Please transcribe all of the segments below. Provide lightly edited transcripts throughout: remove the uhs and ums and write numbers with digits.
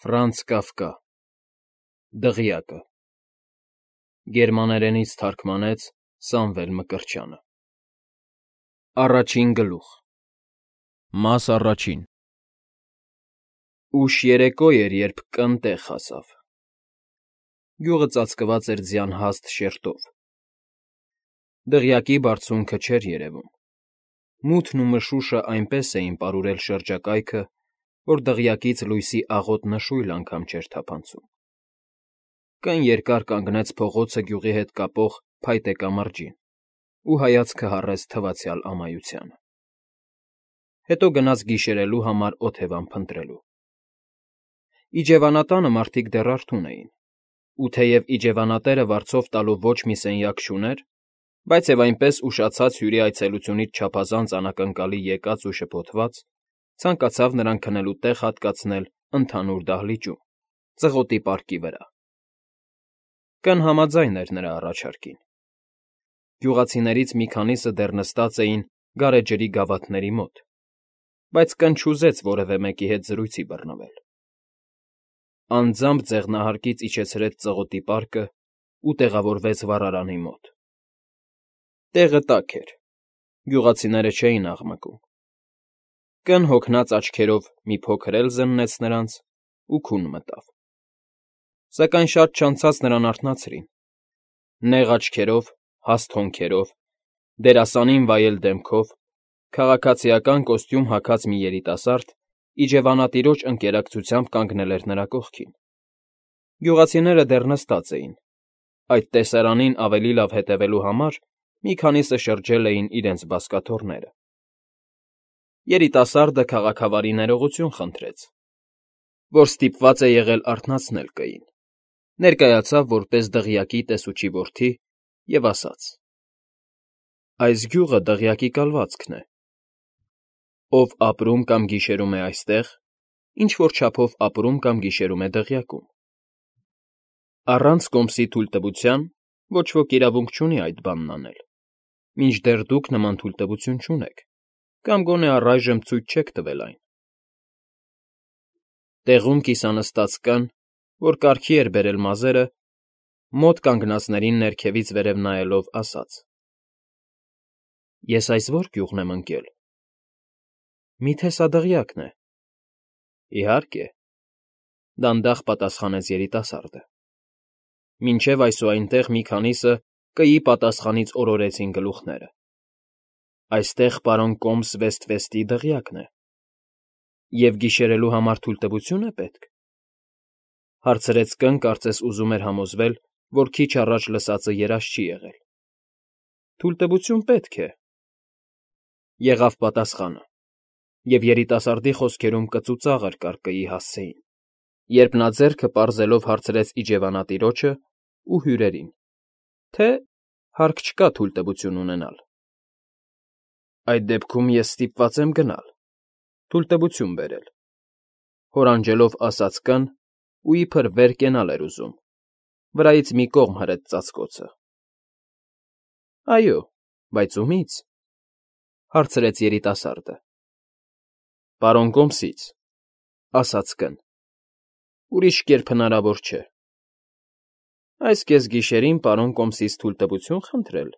Ֆրանց Կաֆկա Դղյակը Գերմաներենից թարգմանեց Սամվել Մկրտչյանը Առաջին գլուխ Մաս առաջին Ուշ երեկո էր, երբ Կ֊ն տեղ հասավ։ Գյուղը ծածկված էր ձյան հաստ շերտով։ Դղյակի բարձունքը չէր երևում։ Մութն ու մշուշը այնպես էին պարուրել շրջակայքը, որ դղյակից լույսի աղոտ նշույլ անգամ չէր թափանցում։ Կ֊ն երկար կանգնեց փողոցը գյուղի հետ կապող փայտե կամրջին ու հայացքը հառեց թվացյալ ամայությանը։ Հետո գնաց գիշերելու համար օթևան փնտրելու։ Իջևանատանը մարդիկ դեռ արթուն էին, ու թեև իջևանատերը վարձով տալու ոչ մի սենյակ չուներ, բայց և այնպես ուշացած հյուրի այցելությունից չափազանց անակնկալի եկած ու շփոթված, ցանկացավ նրան քնելու տեղ հատկացնել ընդհանուր դահլիճում, ծղոտի պարկի վրա։ Կ֊ն համաձայն էր նրա առաջարկին։ Գյուղացիներից մի քանիսը դեռ նստած էին գարեջրի գավաթների մոտ, բայց Կ֊ն չուզեց որևէ մեկի հետ զրույցի բռնվել։ Անձամբ ձեղնահարկից իջեցրեց ծղոտի պարկն ու տեղավորվեց վառարանի մոտ։ Տեղը տաք էր, գյուղացիները չէին աղմկում։ Կ֊ն հոգնած աչքերով մի փոքր էլ զննեց նրանց ու քուն մտավ։ Սակայն շատ չանցած նրան արթնացրին։ Նեղ աչքերով, հաստ հոնքերով, դերասանին վայել դեմքով, քաղաքացիական կոստյում հագած մի երիտասարդ իջևանատիրոջ ընկերակցությամբ կանգնել էր նրա կողքին։ Գյուղացիները դեռ նստած էին։ Այդ տեսարանին ավելի լավ հետևելու համար մի քանիսը շրջել էին իրենց բազկաթոռները։ Երիտասարդը քաղաքավարի ներողություն խնդրեց, որ ստիպված է եղել արթնացնել Կ֊ին, ներկայացավ որպես Դղյակի տեսուչի որդի և ասաց. «Այս գյուղը Դղյակի կալվածքն է։ Ով ապրում կամ գիշերում է այստեղ, ինչ֊որ չափով ապրում կամ գիշերում է Դղյակում։ Առանց կոմսի թույլտվության ոչ ոք իրավունք չունի այդ բանն անել, մինչդեռ դուք նման թույլտվություն չունեք կամ գոնե առայժմ ցույց չեք տվել այն»։ Տեղում կիսանստած Կ֊ն, որ կարգի էր բերել մազերը, մոտ կանգնածներին ներքևից վերև նայելով ասաց. «Ես այս ո՞ր գյուղն եմ ընկել։ Մի՞թե սա Դղյակն է»։ «Իհարկե», դանդաղ պատասխանեց երիտասարդը։ Մինչև այսուայնտեղ մի քանիսը Կ֊ի պատասխանից օրորեցին գլուխները։ «Այստեղ պարոն Կոմս Վեստվեստի Դղյակն է։ Եվ գիշերելու համար թույլտվություն է պետք», հարցրեց Կ֊ն, կարծես ուզում էր համոզվել, որ քիչ առաջ լսածը երազ չի եղել։ «Թույլտվություն պետք է», եղավ պատասխանը, և երիտասարդի խոսքերում կծուծաղր կար Կ֊ի հասցեին, երբ նա ձեռքը պարզելով հարցրեց իջևանատիրոջը ու հյուրերին, թե հարկ չկա թույլտվություն ունենալ։ «Այդ դեպքում ես ստիպված եմ գնալ, թույլտվություն բերել», հորանջելով ասաց Կ֊ն ու իբր վեր կենալ էր ուզում, վրայից մի կողմ հրեց ծածկոցը։ «Այո, բայց ումի՞ց», հարցրեց երիտասարդը։ «Պարոն Կոմսից», ասաց Կ֊ն։ «Ուրիշ կերպ հնարավոր չէ»։ «Այս կեսգիշերին պարոն Կոմսից թույլտվություն խնդրել»,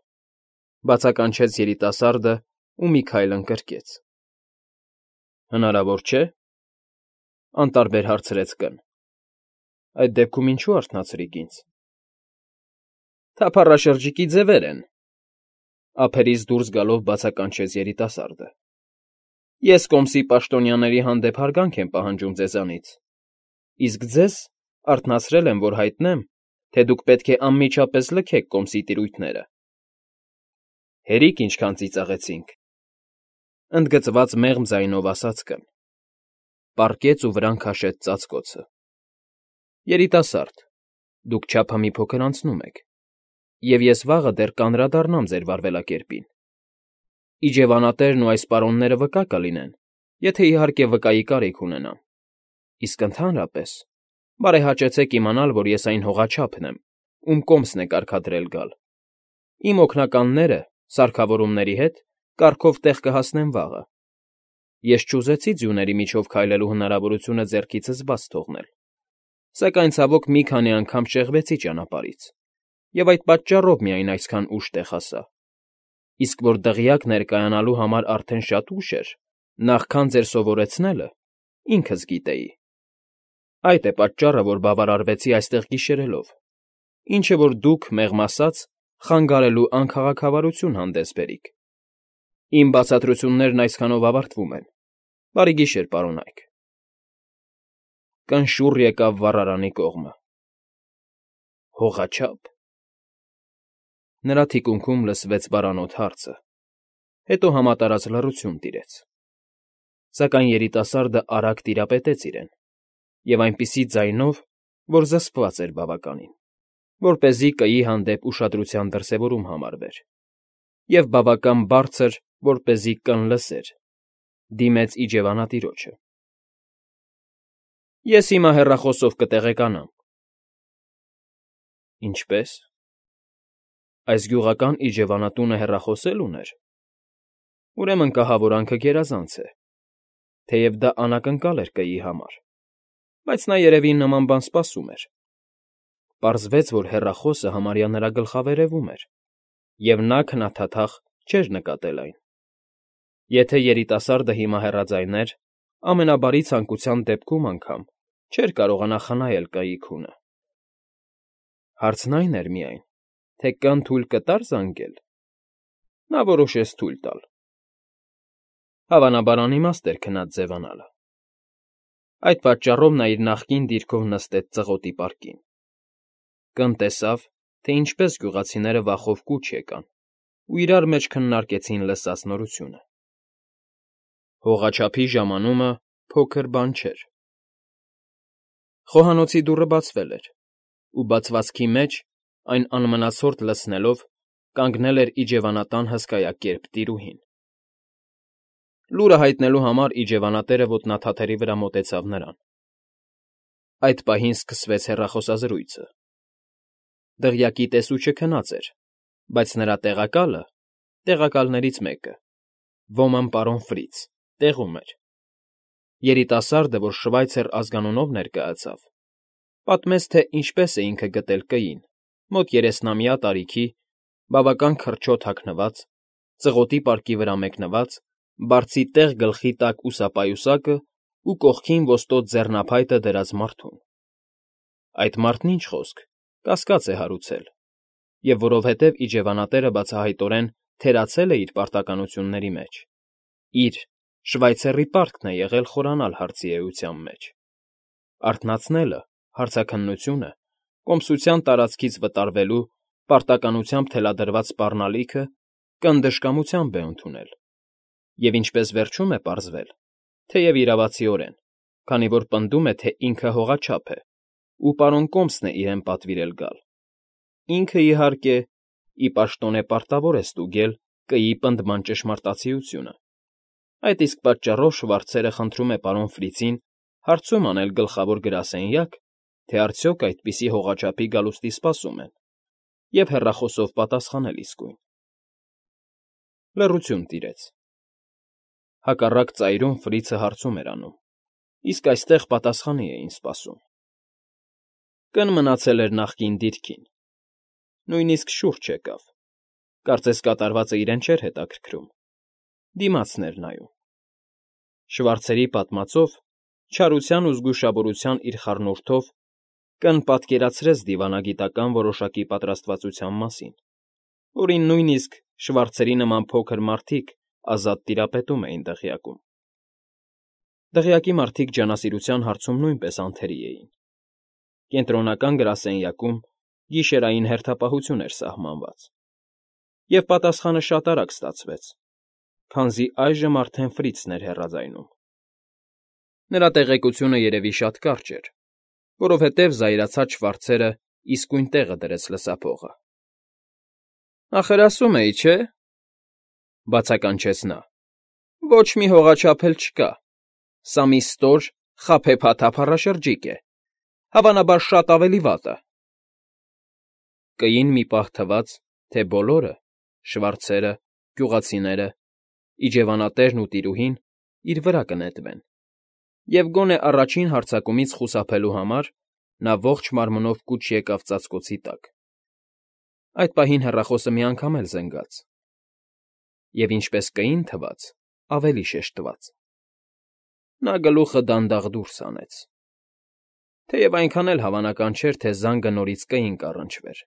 բացականչեց երիտասարդը ու մի քայլ ընկրկեց։ «Հնարավոր չէ՞, անտարբեր հարցրեց Կ֊ն։ «Այդ դեպքում ինչու արթնացրիք ինձ»։ «Թափառաշրջիկի ձևեր են», ափերից դուրս գալով բացականչեց երիտասարդը։ «Ես Կոմսի պաշտոնյաների հանդեպ հարգանք եմ պահանջում ձեզանից, իսկ ձեզ արթնացրել եմ, որ հայտնեմ, թե դուք պետք է անմիջապես լքեք Կոմսի տիրույթները»։ «Հերիք ինչքան ծիծաղեցինք», ընդգծված մեղմ ձայնով ասաց Կ֊ն։ Պառկեց ու վրան քաշեց ծածկոցը։ «Երիտասարդ, դուք չափը մի փոքր անցնում եք, և ես վաղը դեռ կանդրադառնամ ձեր վարվելակերպին։ Իջևանատերն ու այս պարոնները վկա կլինեն, եթե իհարկե վկայի կարիք ունենան, իսկ ընդհանրապես բարեհաճեցեք իմանալ, որ ես այն հողաչափն եմ, ում Կոմսն է կարգադրել գալ։ Իմ օգնականները, սարքավորումների հետ, կառքով տեղ կհասնեն վաղը։ Ես չուզեցի ձյուների միջով քայլելու հնարավորությունը ձեռքիցս բաց թողնել, Սակայն ցավոք մի քանի անգամ շեղվեցի ճանապարհից, և այդ պատճառով միայն այսքան ուշ տեղ հասա, իսկ որ դղյակ ներկայանալու համար արդեն շատ ուշ էր, նախքան ձեր սովորեցնելը, ինքս գիտեի. այդ է պատճառը, որ բավարարվեցի այստեղ գիշերելով, ինչը որ դուք, մեղմ ասած, խանգարելու անքաղաքավարություն հանդես բերիք։ Իմ բացատրություններն այսքանով ավարտվում են։ Բարի գիշեր, պարոնայք։ Կնշուռ եկավ վառարանի կողմը։ Հողաչափ։ Նրա թիկունքում լսվեց բարանոտ հարցը, հետո համատարած լռություն տիրեց։ Սակայն երիտասարդը արագ տիրապետեց իրեն, և այնպիսի ձայնով, որ զսպված էր բավականին, որպեսզի կայի հանդեպ ուշադրության դրսևորում համարվեր, և բավական բարձր, որպեսզի կն լսեր, դիմեց իջևանատիրոջը։ Ես հիմա հեռախոսով կտեղեկանամ։ Ինչպե՞ս։ Այս գյուղական իջևանատունը հեռախոս էլ ուներ։ Ուրեմն կահավորանքը գերազանց է, թեև դա անակնկալ էր կայի համար, բայց նա երևի նման բան սպասում էր։ Պարզվեց, որ հեռախոսը համարյա նրա գլխավերևում էր, և նա քնաթաթախ չէր նկատել այն։ Եթե երիտասարդը հիմա հեռաձայներ, ամենաբարի ցանկության դեպքում անգամ չէր կարողանա խնայել կայի քունը։ Հարցն այն էր միայն, թե կն թույլ կտա՞ր զանգել։ Նա որոշեց թույլ տալ։ Հավանաբար անիմաստ էր քնած ձևանալը։ Այդ պատճառով նա իր նախկին դիրքով նստեց ծղոտի պարկին։ Կն տեսավ, թե ինչպես գյուղացիները վախով կուչ եկան ու իրար մեջ քննարկեցին լսած նորությունը։ Հողաչափի ժամանումը փոքր բան չէր։ Խոհանոցի դուռը բացվել էր, ու բացվածքի մեջ, այն անմնացորդ լցնելով, կանգնել էր իջևանատան հսկայակերպ տիրուհին։ Լուրը հայտնելու համար իջևանատերը ոտնաթաթերի վրա մոտեցավ նրան։ Այդ պահին սկսվեց հեռախոսազրույցը։ Դղյակի տեսուչը քնած էր, բայց նրա տեղակալը, տեղակալներից մեկը, ոմն պարոն Ֆրից, տեղում էր։ Երիտասարդը, որ Շվայցեր ազգանունով ներկայացավ, պատմեց, թե ինչպես է ինքը գտել կային, մոտ 30-ամյա տարիքի, բավական քրչոտ հագնված, ծղոտի պարկի վրա մեկնված, բարձի տեղ գլխի տակ ուսապայուսակը ու կողքին ոստոտ ձեռնափայտը դրած մարդուն։ Այդ մարդն ինչ խոսք, կասկած է հարուցել, և որովհետև իջևանատերը բացահայտորեն թերացել է իր պարտականությունների մեջ, իր Շվայցեռի պարտքն է եղել խորանալ հարցի էության մեջ։ Արթնացնելը, հարցաքննությունը, կոմսության տարածքից վտարվելու պարտականությամբ թելադրված սպառնալիքը կնդժկամությամբ է ընդունել, և ինչպես վերջում է պարզվել, թեև իրավացիորեն, քանի որ պնդում է, թե ինքը հողաչափ է, ու պարոն Կոմսն է իրեն պատվիրել գալ։ Ինքը, իհարկե, ի պաշտոնե պարտավոր է ստուգել կայի պնդման ճշմարտացիությունը։ Այդ իսկ պատճառով Շվարցերը խնդրում է պարոն Ֆրիցին հարցում անել գլխավոր գրասենյակ, թե արդյոք այդպիսի հողաչափի գալուստի սպասում են, և հեռախոսով պատասխանել իսկույն։ Լռություն տիրեց։ Հակառակ ծայրում Ֆրիցը հարցում էր անում, իսկ այստեղ պատասխանի էին սպասում։ Կն մնացել էր նախկին դիրքին։ Նույնիսկ շուրջ եկավ։ Կարծես կատարվածը իրեն չէր հետաքրքրում։ Դիմացն էր նայում։ Շվարցերի պատմածով, չարության ու զգուշավորության իր խառնուրդով, կն պատկերացրեց դիվանագիտական որոշակի պատրաստվածության մասին, որին նույնիսկ Շվարցերի նման փոքր մարդիկ ազատ տիրապետում էին դղյակում։ Դղյակի մարդիկ ջանասիրության հարցում նույնպես անթերի էին։ Կենտրոնական գրասենյակում գիշերային հերթապահություն էր սահմանված։ Եվ պատասխանը շատ արագ ստացվեց, քանզի այժմ արդեն Ֆրիցն էր հեռաձայնում։ Նրա տեղեկությունը երևի շատ կարճ էր, որովհետև զայրացած Շվարցերը իսկույն տեղը դրեց լսափողը։ Ախր ասում էի, չէ՞, բացականչեց նա։ Ոչ մի հողաչափ էլ չկա։ Սա մի ստոր, խաբեբաթափառաշրջիկ է, հավանաբար շատ ավելի վատը։ Կային մի պահ թվաց, թե բոլորը՝ Շվարցերը, գյուղացիները, իջևանատերն ու տիրուհին իր վրա կնետվեն, և գոնե առաջին հարձակումից խուսափելու համար Նա ողջ մարմնով կուչ եկավ ծածկոցի տակ։ Այդ պահին հեռախոսը մի անգամ էլ զնգաց, և ինչպես Կ-ին թվաց, ավելի շեշտված։ Նա գլուխը դանդաղ դուրս հանեց, թեև այնքան էլ հավանական չէր, թե զանգը նորից Կ-ին կառնչվեր։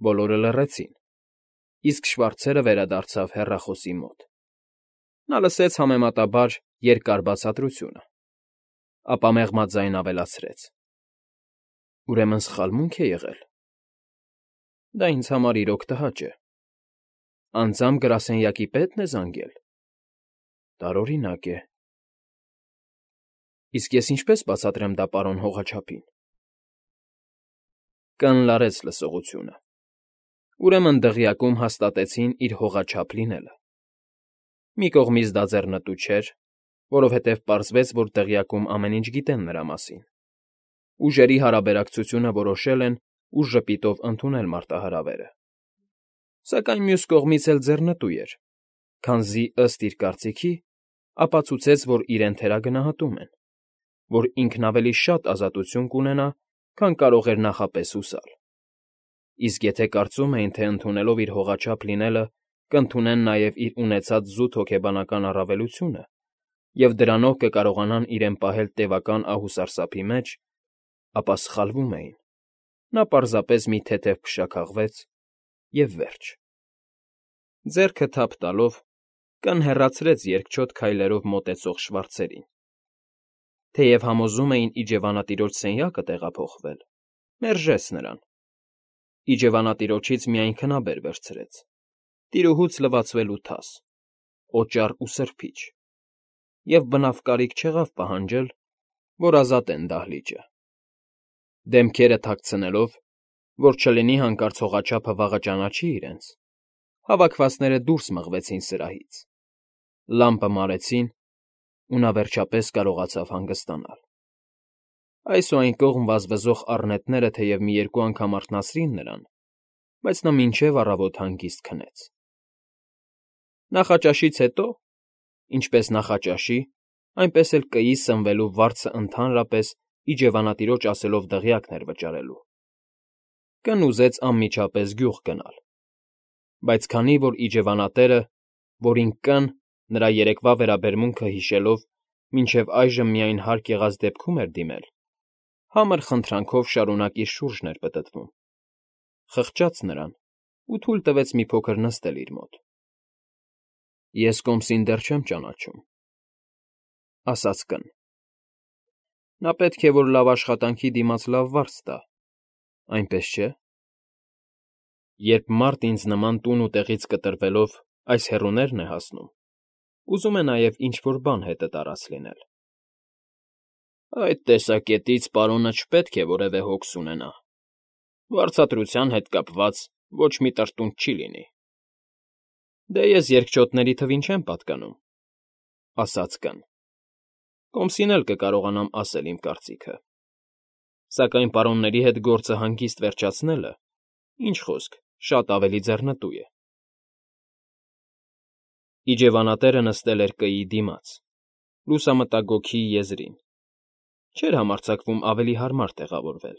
Բոլորը լռեցին, իսկ Շվարցերը վերադարձավ հեռախոսի մոտ։ Նա լսեց համեմատաբար երկար բացատրությունը, ապա մեղմած ձայն ավելացրեց. «Ուրեմն սխալմունք է եղել։ Դա ինձ համար իրոք տհաճ է։ Անձամբ գրասենյակի պետն է զանգել։ Տարօրինակ է։ Իսկ ես ինչպես բացատրեմ դա պարոն հողաչափին»։ Կն լարեց լսողությունը։ Ուրեմն դղյակում հաստատեցին իր հողաչափ լինելը։ Մի կողմից դա ձեռնտու չէր, որովհետև պարզվեց, որ դղյակում ամեն ինչ գիտեն նրա մասին։ Ուժերի հարաբերակցությունը որոշել են ու ժպիտով ընդունել մարտահրավերը։ Սակայն մյուս կողմից էլ ձեռնտու էր, քանզի, ըստ իր կարծիքի, ապացուցեց, որ իրեն թերագնահատում են, որ ինքն ավելի շատ ազատություն կունենա, քան կարող էր նախապես հուսալ։ Իսկ եթե կարծում էին, թե ընդունելով իր հողաչափ լինելը կընդունեն նաև իր ունեցած զուտ հոգեբանական առավելությունը, և դրանով կկարողանան իրեն պահել տևական ահ ու սարսափի մեջ, ապա սխալվում էին։ Նա պարզապես մի թեթև փշաքաղվեց և վերջ։ Ձեռքը թափ տալով՝ Կն հեռացրեց երկչոտ քայլերով մոտեցող Շվարցերին։ Թեև համոզում էին իջևանատիրոջ սենյակը տեղափոխվել, մերժեց նրան։ Իջևանատիրոջից միայն քնաբեր վերցրեց, տիրուհուց լվացվելու թաս, օճառ ու սրբիչ, և բնավ կարիք չեղավ պահանջել, որ ազատեն դահլիճը։ Դեմքերը թաքցնելով, որ չլինի հանկարծ հողաչափը վաղը ճանաչի իրենց, հավաքվածները դուրս մղվեցին սրահից, լամպը մարեցին, ու նա վերջապես կարողացավ հանգստանալ։ Այս ու այն կողմ վազվզող առնետները թեև մի երկու անգամ արթնացրին նրան, բայց նա մինչև առավոտ հանգիստ քնեց։ Նախաճաշից հետո, ինչպես նախաճաշի, այնպես էլ Կ֊ի սնվելու վարձը ընդհանրապես իջևանատիրոջ ասելով դղյակն էր վճարելու։ Կն ուզեց անմիջապես գյուղ գնալ, բայց քանի որ իջևանատերը, որին Կն, նրա երեկվա վերաբերմունքը հիշելով, մինչև այժմ միայն հարկ եղած դեպքում էր դիմել, համր խնդրանքով շարունակ իր շուրջն էր պտտվում, խղճաց նրան ու թույլ տվեց մի փոքր նստել իր մոտ։ «Ես Կոմսին դեռ չեմ ճանաչում», ասաց Կն։ «Նա պետք է, որ լավ աշխատանքի դիմաց լավ վարձ տա, այնպես չէ՞։ Երբ մարդ ինձ նման տուն ու տեղից կտրվելով այս հեռուներն է հասնում, ուզում է նաև ինչ֊որ բան հետը տարած լինել»։ «Այդ տեսակետից պարոնը չպետք է որևէ հոգս ունենա. վարձատրության հետ կապված ոչ մի տրտունջ չի լինի»։ «Դե ես երկչոտների թվին չեմ պատկանում», ասաց Կն։ «Կոմսին էլ կկարողանամ ասել իմ կարծիքը։ Սակայն պարոնների հետ գործը հանգիստ վերջացնելը, ինչ խոսք, շատ ավելի ձեռնտու է»։ Իջևանատերը նստել էր Կ֊ի դիմաց, լուսամտագոգի եզրին։ Չէր համարձակվում ավելի հարմար տեղավորվել,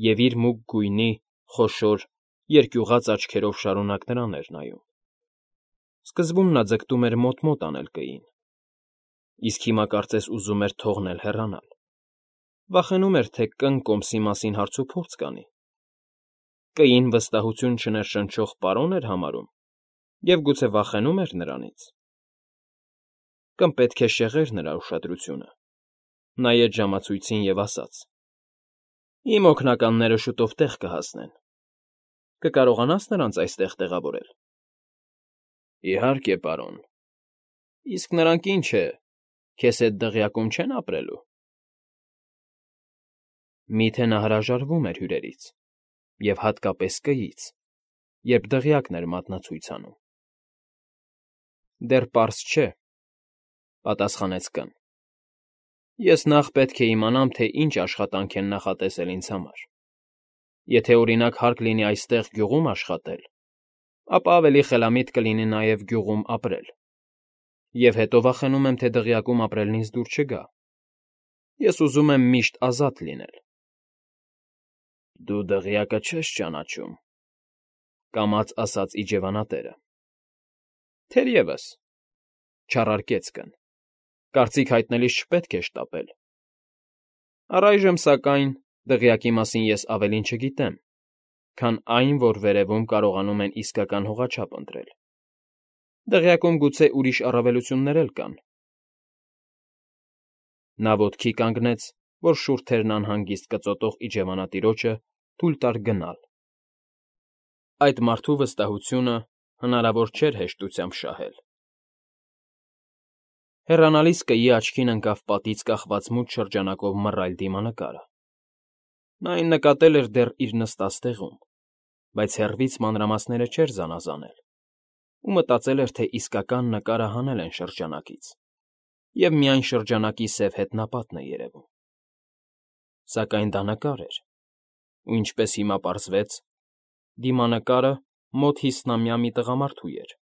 և իր մուգ գույնի, խոշոր, երկյուղած աչքերով շարունակ նրան էր նայում։ Սկզբում նա ձգտում էր մոտ-մոտ անել Կ֊ին, իսկ հիմա կարծես ուզում էր թողնել հեռանալ։ Վախենում էր, թե Կն Կոմսի մասին հարցուփորձ կանի։ Կ֊ին վստահություն չներշնչող պարոն էր համարում և գուցե վախենում էր նրանից։ Կն պետք է շեղեր նրա ուշադրությունը, նայեց ժամացույցին և ասաց. «Իմ օգնականները շուտով տեղ կհասնեն։ Կկարողանա՞ս նրանց այստեղ տեղավորել»։ «Իհարկե, պարոն։ Իսկ նրանք ինչ է, քեզ հետ դղյակում չեն ապրելու»։ Միթե նա հրաժարվում էր հյուրերից, և հատկապես Կ֊ից, երբ դղյակն էր մատնացույց անում։ «Դեռ պարզ չէ», պատասխանեց Կն։ «Ես նախ պետք է իմանամ, թե ինչ աշխատանք են նախատեսել ինձ համար։ Եթե, օրինակ, հարկ լինի այստեղ գյուղում աշխատել, ապա ավելի խելամիտ կլինի նաև գյուղում ապրել, և հետո վախենում եմ, թե դղյակում ապրելն ինձ դուր չգա։ Ես ուզում եմ միշտ ազատ լինել, Դու դղյակը չես ճանաչում,֊ կամաց ասաց իջևանատերը։ ֊ Թերևս,֊ չարարկեց կն,֊ կարծիք հայտնելիս չպետք է շտապել։ Առայժմ, սակայն, դղյակի մասին ես ավելին չգիտեմ, քան այն, որ վերևում կարողանում են իսկական հողաչափ ընտրել։ Դղյակում գուցե ուրիշ առավելություններ էլ կան։ Նա ոտքի կանգնեց, որ շուրթերն անհանգիստ կծոտող իջևանատիրոջը թույլ տար գնալ։ Այդ մարդու վստահությունը հնարավոր չէր հեշտությամբ շահել։ Հեռանալիս կայի աչքին ընկավ պատից կախված մութ շրջանակով մռայլ դիմանկարը։ Նա այն նկատել էր դեռ իր նստած տեղում, բայց հեռվից մանրամասները չէր զանազանել ու մտածել էր, թե իսկական նկարը հանել են շրջանակից, և միայն շրջանակի սև հետնապատն է երևում։ Սակայն դա նկար էր, ու ինչպես հիմա պարզվեց, դիմանկարը մոտ 50-ամյա մի տղամարդու էր։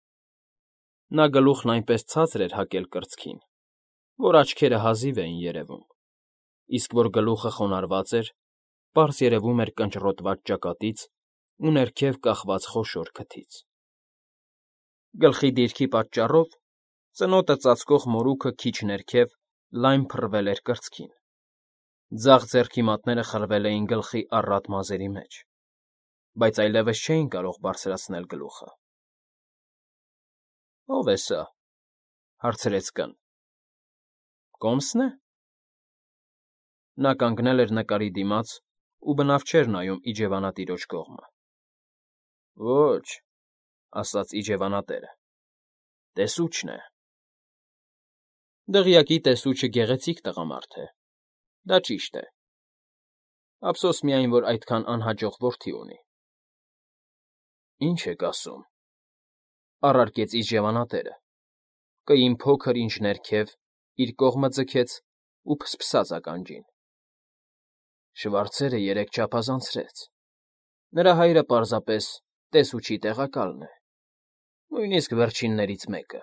Նա գլուխն այնպես ցածր էր հակել կրծքին, որ աչքերը հազիվ էին երևում, իսկ որ գլուխը խոնարհված էր, պարզ երևում էր կնճռոտված ճակատից ու ներքև կախված խոշոր քթից։ Գլխի դիրքի պատճառով ծնոտը ծածկող մորուքը քիչ ներքև լայն փռվել էր կրծքին, ձախ ձեռքի մատները խրվել էին գլխի առատ մազերի մեջ, բայց այլևս չէին կարող բարձրացնել գլուխը։ ֊ Ո՞վ է սա,֊ հարցրեց կն։ Կոմս֊ն է։ Նա կանգնել էր նկարի դիմաց ու բնավ չէր նայում իջևանատիրոջ կողմը։ Ոչ,֊ ասաց իջևանատերը,֊ տեսուչն է։ Դղյակի տեսուչը գեղեցիկ տղամարդ է, դա ճիշտ է։ Ափսոս միայն, որ այդքան անհաջող որդի ունի։ Ինչ եք ասում,֊ առարկեց իջևանատերը, կային փոքր ինչ ներքև, իր կողմը ձգեց ու փսփսաց ականջին։ Շվարցերը երեկ չափազանցրեց։ Նրա հայրը պարզապես տեսուչի տեղակալն է, նույնիսկ վերջիններից մեկը։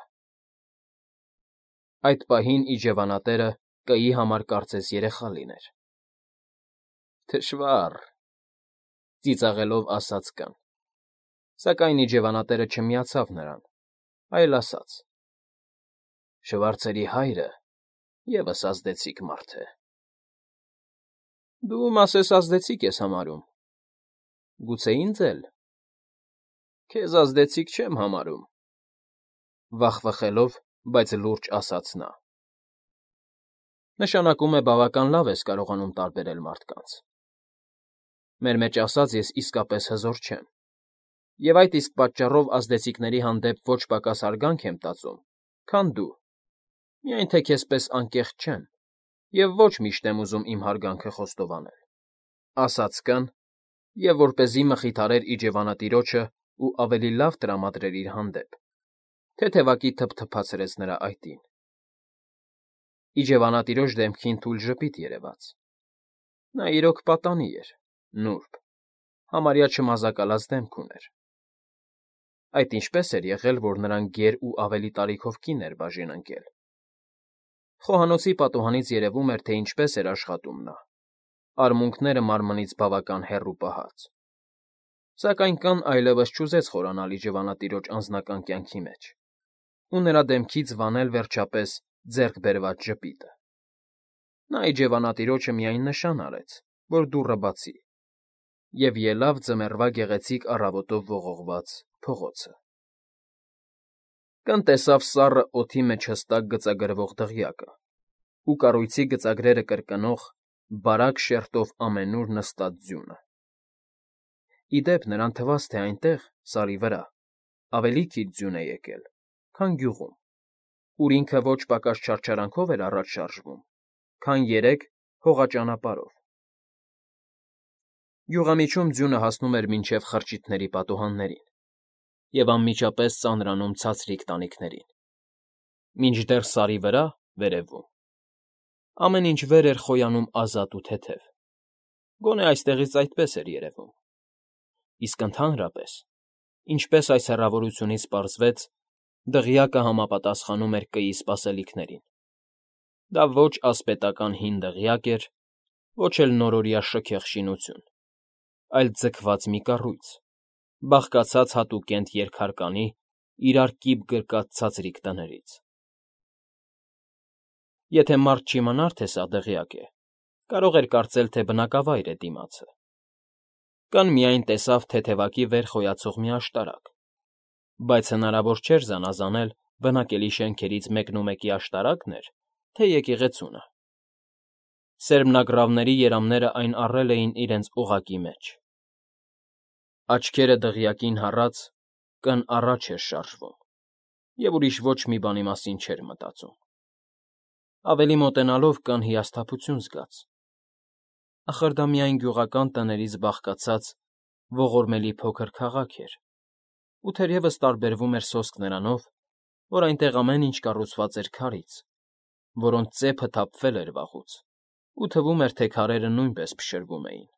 Այդ պահին իջևանատերը կայի համար կարծես երեխա լիներ։ Թշվա՜ռ,֊ ծիծաղելով ասաց կն, սակայն իջևանատերը չմիացավ նրան, այլ ասաց. Շվարցերի հայրը ևս ազդեցիկ մարդ է։ Դու մասես ազդեցիկ ես համարում։ Գուցե ինձ էլ։ Քեզ ազդեցիկ չեմ համարում,֊ վախվխելով, բայց լուրջ ասաց նա։ Նշանակում է բավական լավ ես կարողանում տարբերել մարդկանց։ Մեր մեջ ասած ես իսկապես հզոր չեմ, և այդ իսկ պատճառով ազդեցիկների հանդեպ ոչ պակաս հարգանք եմ տածում, քան դու, միայն թե քեզ պես անկեղծ չեմ և ոչ միշտ եմ ուզում իմ հարգանքը խոստովանել,֊ ասաց կն, և որպեսզի մխիթարեր իջևանատիրոջը ու ավելի լավ տրամադրեր իր հանդեպ, թեթևակի թփթփացրեց նրա այտին։ Իջևանատիրոջ դեմքին թույլ ժպիտ երևաց։ Նա իրոք պատանի էր, նուրբ, համարյա չմազակալած դեմք ուներ։ Այդ ինչպե՞ս էր եղել, որ նրան գեր ու ավելի տարիքով կին էր բաժին ընկել։ Խոհանոցի պատուհանից երևում էր, թե ինչպես էր աշխատում նա, արմունկները մարմնից բավական հեռու պահած։ Սակայն կն այլևս չուզեց խորանալ իջևանատիրոջ անձնական կյանքի մեջ ու նրա դեմքից վանել, վերջապես, ձեռք բերված ժպիտը։ Նա իջևանատիրոջը միայն նշան արեց, որ դուռը բացի, և ելավ ձմեռվա գեղեցիկ առավոտով ողողված փողոցը։ Կն տեսավ սառը օդի մեջ հստակ գծագրվող դղյակը ու կառույցի գծագրերը կրկնող, բարակ շերտով ամենուր նստած ձյունը։ Ի դեպ, նրան թվաց, թե այնտեղ, Սարի վրա, ավելի քիչ ձյուն է եկել, քան գյուղում, ուր ինքը ոչ պակաս չարչարանքով էր առաջ շարժվում, քան երեկ հողաճանապարհով։ Գյուղամիջում ձյունը հասնում էր մինչև խրճիթների պատուհաններին և անմիջապես ծանրանում ցածրիկ տանիքներին, մինչդեռ Սարի վրա, վերևում, ամեն ինչ վեր էր խոյանում ազատ ու թեթև, գոնե այստեղից այդպես էր երևում։ Իսկ ընդհանրապես, ինչպես այս հեռավորությունից պարզվեց, դղյակը համապատասխանում էր կայի սպասելիքներին։ Դա ոչ ասպետական հին դղյակ էր, ոչ էլ նորօրյա շքեղ շինություն, այլ ձգված մի կառույց, բաղկացած հատուկենտ երկհարկանի, իրար կիպ գրկած ցածրիկ տներից։ Եթե մարդ չիմանար, թե սա դղյակ է, կարող էր կարծել, թե բնակավայր է դիմացը։ Կան միայն տեսավ թեթևակի վեր խոյացող մի աշտարակ, բայց հնարավոր չէր զանազանել բնակելի շենքերից մեկնումեկի աշտարակն էր, թե եկեղեցունը։ Սերմնագռավների երամներն այն առել էին իրենց օղակի մեջ։ Աչքերը դղյակին հառած, կն առաջ էր շարժվում և ուրիշ ոչ մի բանի մասին չէր մտածում։ Ավելի մոտենալով կն հիասթափություն զգաց։ Ախր դա միայն գյուղական տներից բաղկացած ողորմելի փոքր քաղաք էր, ու թերևս տարբերվում էր սոսկ նրանով, որ այնտեղ ամեն ինչ կառուցված էր քարից, որոնց ծեփը թափվել էր վաղուց, ու թվում էր, թե քարերը նույնպես փշրվում էին։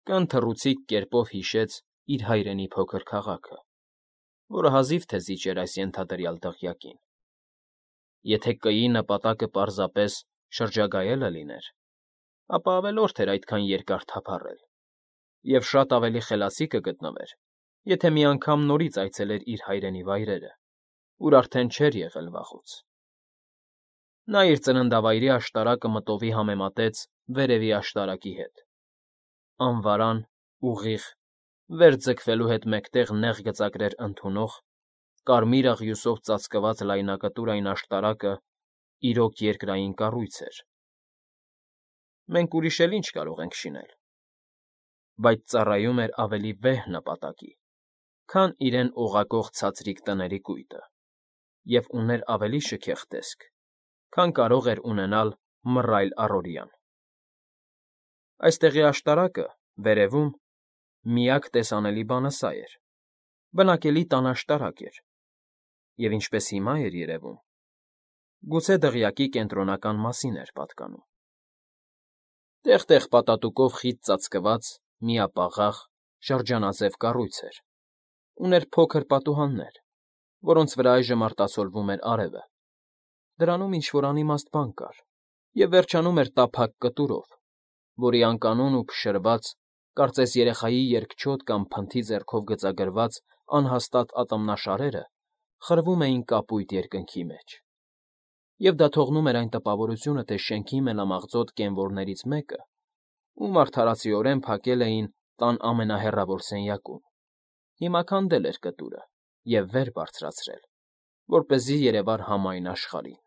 Կն թռուցիկ կերպով հիշեց իր հայրենի փոքր քաղաքը, որը հազիվ թե զիջեր այս ենթադրյալ դղյակին։ Եթե Կ֊ի նպատակը պարզապես շրջագայելը լիներ, ապա ավելորդ էր այդքան երկար թափառել, և շատ ավելի խելացի կգտնվեր, եթե մի անգամ նորից այցելեր իր հայրենի վայրերը, ուր արդեն չէր եղել վաղուց։ Նա իր ծննդավայրի աշտարակը մտովի համեմատեց վերևի աշտարակի հետ։ Անվարան, ուղիղ, վեր ձգվելու հետ մեկտեղ նեղ գծակներ ընդունող, կարմիր աղյուսով ծածկված լայնակտուր այն աշտարակը իրոք երկրային կառույց էր։ Մենք ուրիշ էլ ինչ կարող ենք շինել։ Բայց ծառայում էր ավելի վեհ նպատակի, քան իրեն օղակող ցածրիկ տների կույտը, և ուներ ավելի շքեղ տեսք, քան կարող էր ունենալ մռայլ առօրյան։ Այստեղի աշտարակը, վերևում, միակ տեսանելի բանը սա էր. բնակելի տան աշտարակ էր, և ինչպես հիմա էր երևում, գուցե դղյակի կենտրոնական մասին էր պատկանում։ Տեղ֊տեղ պատատուկով խիտ ծածկված, միապաղաղ, շրջանաձև կառույց էր, ուներ փոքր պատուհաններ, որոնց վրա այժմ արտացոլվում էր արևը։ Դրանում ինչ֊որ անիմաստ բան կար, և վերջանում էր տափակ կտուրով, որի անկանոն ու փշրված, կարծես երեխայի երկչոտ կամ փնթի ձեռքով գծագրված անհաստատ ատամնաշարերը խրվում էին կապույտ երկնքի մեջ։ Եվ դա թողնում էր այն տպավորությունը, թե շենքի մենամաղձոտ կենվորներից մեկը, ում արդարացիորեն փակել էին տան ամենահեռավոր սենյակում, հիմա քանդել էր կտուրը և վեր բարձրացրել, որպեսզի երևար համայն աշխարհին։